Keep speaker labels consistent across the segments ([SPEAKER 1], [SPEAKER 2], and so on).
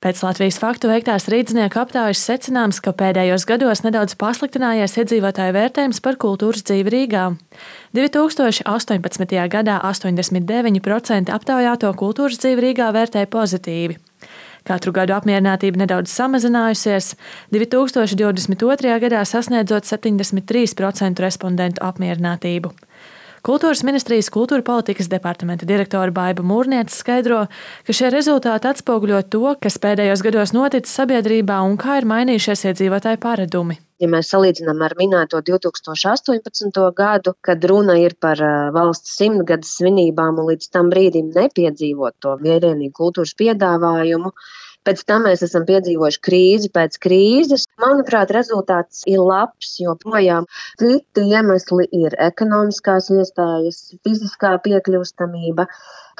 [SPEAKER 1] Pēc Latvijas faktu veiktās rīznieku aptaujas secināms, ka pēdējos gados nedaudz pasliktinājies iedzīvotāju vērtējums par kultūras dzīvi Rīgā. 2018. gadā 89% aptaujāto kultūras dzīvi Rīgā vērtēja pozitīvi. Katru gadu apmierinātība nedaudz samazinājusies, 2022. gadā sasniedzot 73% respondentu apmierinātību. Kultūras ministrijas kultūra politikas departamenta direktore Baiba Mūrniece skaidro, ka šie rezultāti atspoguļo to, kas pēdējos gados noticis sabiedrībā un kā ir mainījušies iedzīvotāju paradumi.
[SPEAKER 2] Ja mēs salīdzinām ar minēto 2018. gadu, kad runa ir par valsts 100-gades svinībām un līdz tam brīdim nepiedzīvot to vērienīgu kultūras piedāvājumu, pēc tam mēs esam piedzīvojuši krīzi pēc krīzes. Manuprāt, rezultāts ir labs, jo projām citi iemesli ir ekonomiskās iestājas, fiziskā piekļūstamība.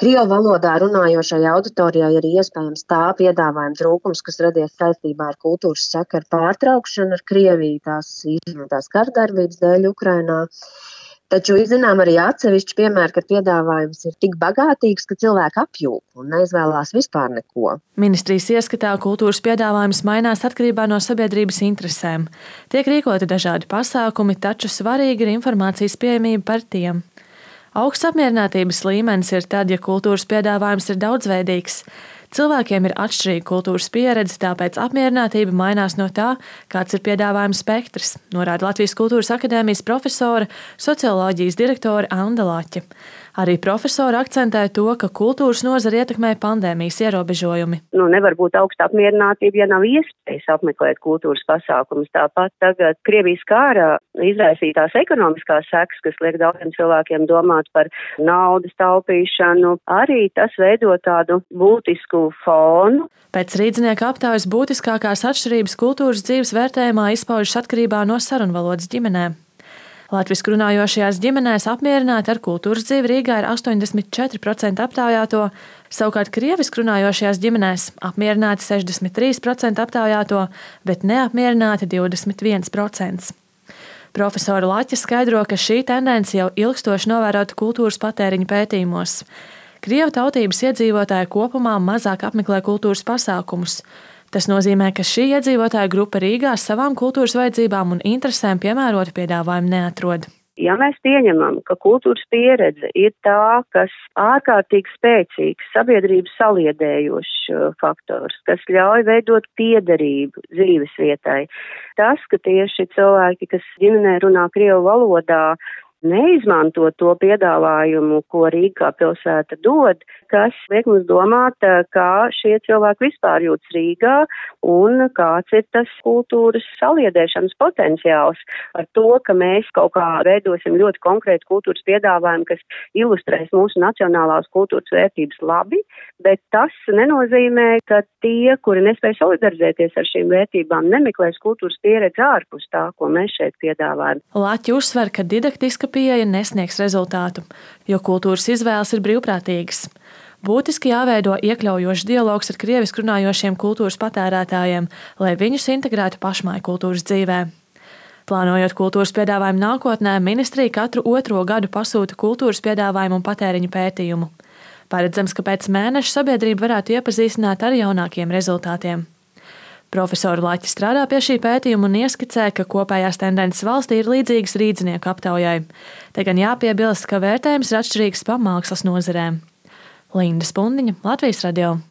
[SPEAKER 2] Krievu valodā runājošai auditorijai ir iespējams tā piedāvājuma trūkums, kas radies saistībā ar kultūras sakaru pārtraukšanu ar Krieviju tās īstenotās kardarbības dēļ Ukrainā. Taču zinām arī atsevišķi piemēri, kad piedāvājums ir tik bagātīgs, ka cilvēki apjūk un neizvēlās vispār neko.
[SPEAKER 1] Ministrijas ieskatā kultūras piedāvājums mainās atkarībā no sabiedrības interesēm. Tiek rīkoti dažādi pasākumi, taču svarīga ir informācijas pieejamība par tiem. Augsts apmierinātības līmenis ir tad, ja kultūras piedāvājums ir daudzveidīgs. Cilvēkiem ir atšķirīga kultūras pieredze, tāpēc apmierinātība mainās no tā, kāds ir piedāvājuma spektrs, norāda Latvijas Kultūras akadēmijas profesore, socioloģijas direktore Anda Laķe. Arī profesori akcentē to, ka kultūras nozari ietekmē pandēmijas ierobežojumi.
[SPEAKER 3] Nevar būt augsta apmierinātība, ja nav iespējas apmeklēt kultūras pasākumus. Tāpat tagad Krievijas kara izraisītās ekonomiskās sekas, kas liek daudziem cilvēkiem domāt par naudas taupīšanu, arī tas veido tādu būtisku fonu.
[SPEAKER 1] Pēc rīznieku aptaujas būtiskākās atšķirības kultūras dzīves vērtējumā izpaužas atkarībā no sarunvalodas ģimenēm. Latviešu runājošajās ģimenēs apmierināti ar kultūras dzīvi Rīgā ir 84% aptaujāto, savukārt krievisku runājošajās ģimenēs apmierināti 63% aptaujāto, bet neapmierināti 21%. Profesora Laķe skaidro, ka šī tendence jau ilgstoši novērota kultūras patēriņa pētījumos. Krievu tautības iedzīvotāji kopumā mazāk apmeklē kultūras pasākumus. Tas nozīmē, ka šī iedzīvotāja grupa Rīgā savām kultūras vajadzībām un interesēm piemērotu piedāvājumu neatrod.
[SPEAKER 3] Ja mēs pieņemam, ka kultūras pieredze ir tā, kas ārkārtīgi spēcīgs sabiedrības saliedējošs faktors, kas ļauj veidot piederību dzīves vietai, tas, ka tieši cilvēki, kas ģimenē runā krievu valodā, neizmanto to piedāvājumu, ko Rīgā pilsēta dod, kas liek mums domāt, kā šie cilvēki vispār jūtas Rīgā un kāds ir tas kultūras saliedēšanas potenciāls ar to, ka mēs kaut kā veidosim ļoti konkrētu kultūras piedāvājumu, kas ilustrēs mūsu nacionālās kultūras vērtības labi, bet tas nenozīmē, ka tie, kuri nespēj solidarizēties ar šīm vērtībām, nemeklēs kultūras pieredzi ārpus tā, ko mēs šeit piedāvājam.
[SPEAKER 1] Laķi uzsver, ka didaktiska pieeja nesniegs rezultātu, jo kultūras izvēles ir brīvprātīgas. Būtiski jāveido iekļaujošs dialogs ar krievisku runājošiem kultūras patērētājiem, lai viņus integrētu pašmāju kultūras dzīvē. Plānojot kultūras piedāvājumu nākotnē, ministrija katru 2. gadu pasūta kultūras piedāvājumu un patēriņu pētījumu. Paredzams, ka pēc mēneša sabiedrība varētu iepazīstināt ar jaunākiem rezultātiem. Profesora Laķe strādā pie šī pētījuma un ieskicē, ka kopējās tendences valstī ir līdzīgas rīznieku aptaujai. Te gan jāpiebilst, ka vērtējums ir atšķirīgs pa mākslas nozarēm. Linda Spundiņa, Latvijas radio.